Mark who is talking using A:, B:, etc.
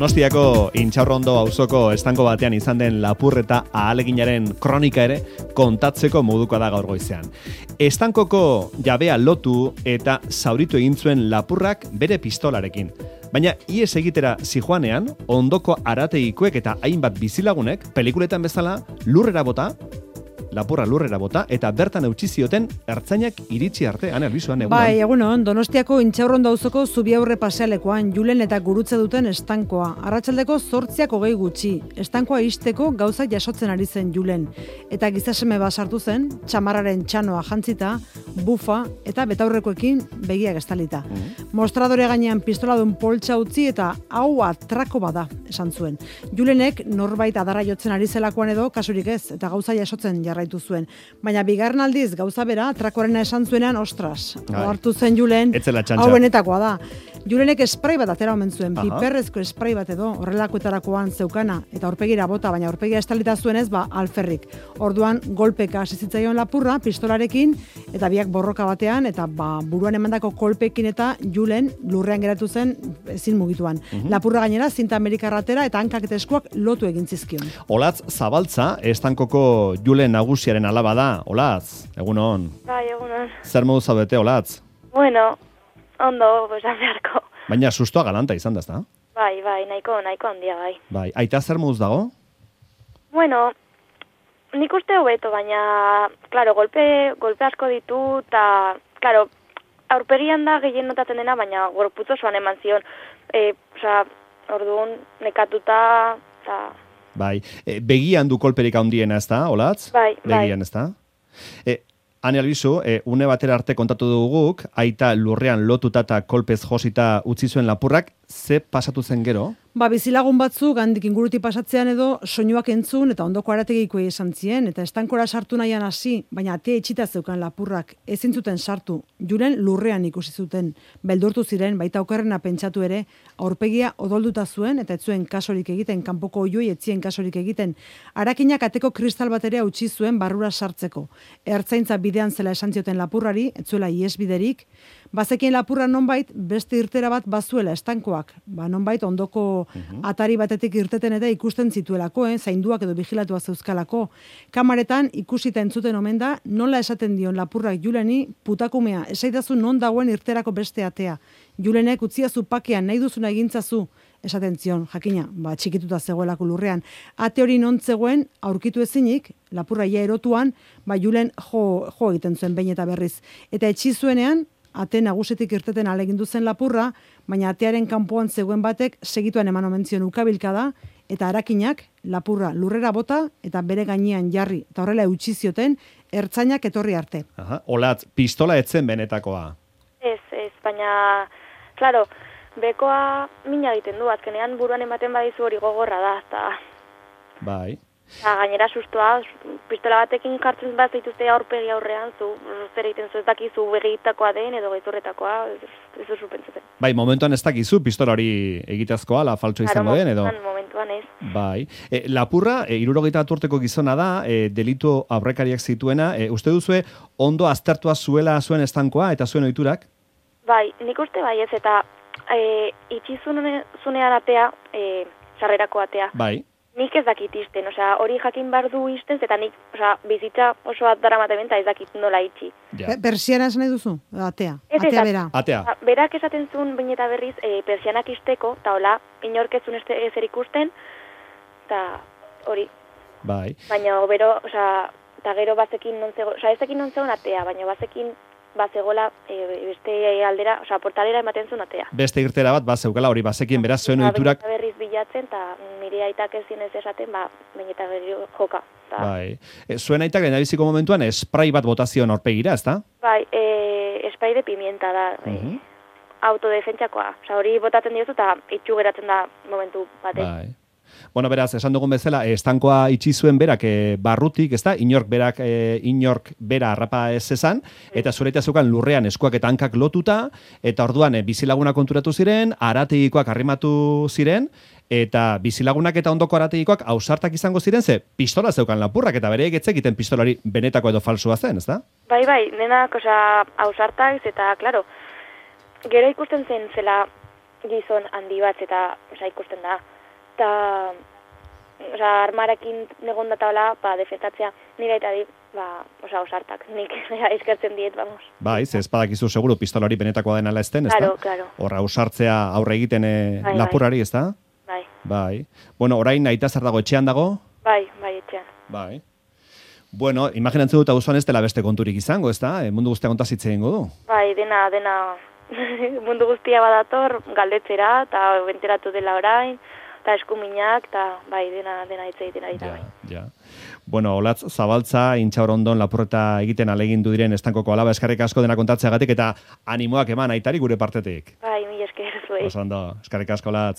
A: Donostiako Intxaurrondo auzoko estanko batean izan den lapurreta ahaleginaren kronika ere kontatzeko moduko da gaur goizean. Estankoko jabea lotu eta zauritu egin zuen lapurrak bere pistolarekin. Baina ies egitera zijoanean, ondoko arategikoek eta hainbat bizilagunek, pelikuletan bezala, lapurra lurrera bota, eta bertan eutsi zioten ertzainak iritsi arte. Ane, Albizuan, egunon.
B: Bai, egunon, Donostiako Intxaurrondo auzoko Zubiaurre pasealekoan, Julen eta gurutze duten estankoa. Arratsaldeko 8:20 gutxi. Estankoa ixteko gauzak jasotzen ari zen Julen. Eta gizaseme bat sartu zen, txamarraren txanoa jantzita, bufa eta betaurrekoekin begiak estalita. Mostradore gainean pistoladun poltsa utzi eta hau atrako bada, esan zuen. Julenek norbait adarra jotzen ari zelakoan edo kasurik ez, eta gauza jasotzen jarraitu zuen. Baina bigarren aldiz gauza bera, atrakorena esan zuenean, ostras, hartu zen Julen, hau benetakoa da. Julenek esprai bat atera omen zuen, piperrezko esprai bat edo, horrelakoetarakoan zeukana, eta aurpegira bota, baina aurpegia estalita zuenez, alferrik. Orduan, golpeka hasi zitzaion lapurra, pistolarekin, eta biak borroka batean, eta buruan emandako kolpekin eta Julen lurrean geratu zen ezin mugituan. Lapurra gainera, zinta amerikarratera eta hankak eta eskuak lotu egin zizkion.
A: Olatz Zabaltza, estankoko Julen nagusiaren alaba da. Olatz, egunon.
C: Bai, egunon.
A: Zer modu zaudete, Olatz?
C: Bueno, ondo, esan beharko.
A: Baina sustoa galanta izan da, ezta?
C: Bai, nahiko handia, bai.
A: Bai, aita zer moduz dago?
C: Bueno, nik uste hobeto, baina, klaro, golpe asko ditu, eta, klaro, aurpegian da gehien notatzen dena, baina gorputz osoan eman zion. Orduan, nekatuta, eta...
A: Bai, begian du kolperik handiena, ezta, Olatz?
C: Bai.
A: Begian, ezta? Ane Albizu, une batera arte kontatu duguk, aita lurrean lotuta eta kolpez josita utzi zuen lapurrak, ze pasatu zen gero?
B: Bizilagun batzuk handik inguruti pasatzean edo soinuak entzun eta ondoko arategikoei esan zien, eta estankora sartu nahian hasi, baina atea itxita zeukan lapurrak, ezin zuten sartu, Julen lurrean ikusi zuten, beldurtu ziren, baita okerrena pentsatu ere, aurpegia odolduta zuen, eta ez zuen kasorik egiten, kanpoko oioi etzien kasorik egiten, arakinak ateko kristal bat ere utzi zuen barrura sartzeko. Ertzaintza bidean zela esan zioten lapurrari, ez zuela iesbiderik, bazekien lapurra nonbait beste irtera bat bazuela estankoak, nonbait ondoko atari batetik irteten eta ikusten zituelako, zainduak edo vigilatua zeuzkalako. Kamaretan ikusita entzuten omen da, nola esaten dion lapurrak Juleni, putakumea, esaidazu non dagoen irterako beste atea. Julenek utziazu pakean, nahi duzuna egintzazu, esaten zion, jakina, txikituta zegoelako lurrean. Ate hori non zegoen, aurkitu ezinik, lapurra ia erotuan, Julen jo egiten zuen behin eta berriz. Eta etxi zuenean, ate nagusetik irteten alegindu zen lapurra, baina atearen kanpoan zegoen batek segituan eman omen zion ukabilka da, eta arakinak lapurra lurrera bota eta bere gainean jarri, eta horrela eutsi zioten ertzainak etorri arte.
A: Olatz, pistola etzen benetakoa?
C: Ez, baina, klaro, bekoa mina egiten du, azkenean buruan ematen badizu hori gogorra da, eta... Bai. Gainera sustoa, pistola batekin jartzen bat zaituzte aurpegi aurrean, zer egiten zu ez dakizu begitakoa den edo gezurretakoa, ez duzu pentsatzen.
A: Bai, momentuan ez dakizu pistola hori egitazkoa, la faltso izango den, edo?
C: Momentuan ez.
A: Bai. Lapurra, 61 urteko gizona da, delitu aurrekariak zituena, uste duzue ondo aztertua zuela zuen estankoa eta zuen ohiturak?
C: Bai, nik uste bai ez, eta itxi zunean atea, sarrerako atea.
A: Bai.
C: Nik ez dakit izten, hori jakin behar du izten, eta nik bizitza oso daramaten ez dakit nola itxi.
B: Persiana esan nahi duzu? Atea? Atea bera?
A: Atea.
C: Berak esaten zuen baina eta berriz persianak izteko, eta hola, inorkezun ezer ikusten, eta hori.
A: Bai.
C: Baina, eta gero bazekin non zegoen, ezekin non zegoen atea, baina bazekin bazegola beste aldera, portalera ematen zuen atea.
A: Beste irtera bat bazeukala hori bazekin beraz zuen ohiturak.
C: Eta berriz bilatzen, eta nire aitak ez zinez esaten, baina eta berri joka.
A: Bai. Zuen aitak lehendabiziko momentuan esprai bat botazion aurpegira, ezta?
C: Bai, esprai de pimienta da, autodefentsakoa. Hori botatzen diozu eta itxu geratzen da momentu batez.
A: Bai. Bueno, beraz, esan dugun bezala, estankoa itxi zuen berak barrutik, ezta? Inork bera harrapa ez esan, eta zureita zeukan lurrean eskuak eta hankak lotuta, eta orduan bizilaguna konturatu ziren, arategikoak arrimatu ziren, eta bizilagunak eta ondoko arategikoak ausartak izango ziren, ze pistola zeukan lapurrak, eta bere egetze egiten pistolari benetako edo falsua zen, ezta?
C: Bai, denak ausartak, eta, klaro, gero ikusten zen zela gizon handi bat, eta ikusten da, eta armarekin negon dataola, defetatzea nire eta dit, osartak, nik eskertzen diet, vamos.
A: Bai, ze espadakizu seguru pistolari benetakoa denala ezten, ez da?
C: Claro.
A: Horra usartzea aurre egiten lapurari, ez da? Bai. Bueno, orain aita zer dago, etxean dago?
C: Bai, etxean.
A: Bai. Bueno, imaginatzen dut auzoan ez dela beste konturik izango, ez da? Mundu guztia kontazitze egingo du?
C: Bai, dena, mundu guztia badator, galdetzera, eta benteratu dela orain, eta eskuminak, eta dena hitz egiten ari da.
A: Ja. Bueno, Olatz Zabaltza, Intxaurondon lapurreta egiten alegindu diren estankoko alaba, eskarrik asko dena kontatzeagatik eta animoak eman aitari gure partetik.
C: Bai, mila esker zuei.
A: Oso ondo, eskarrik asko, Olatz.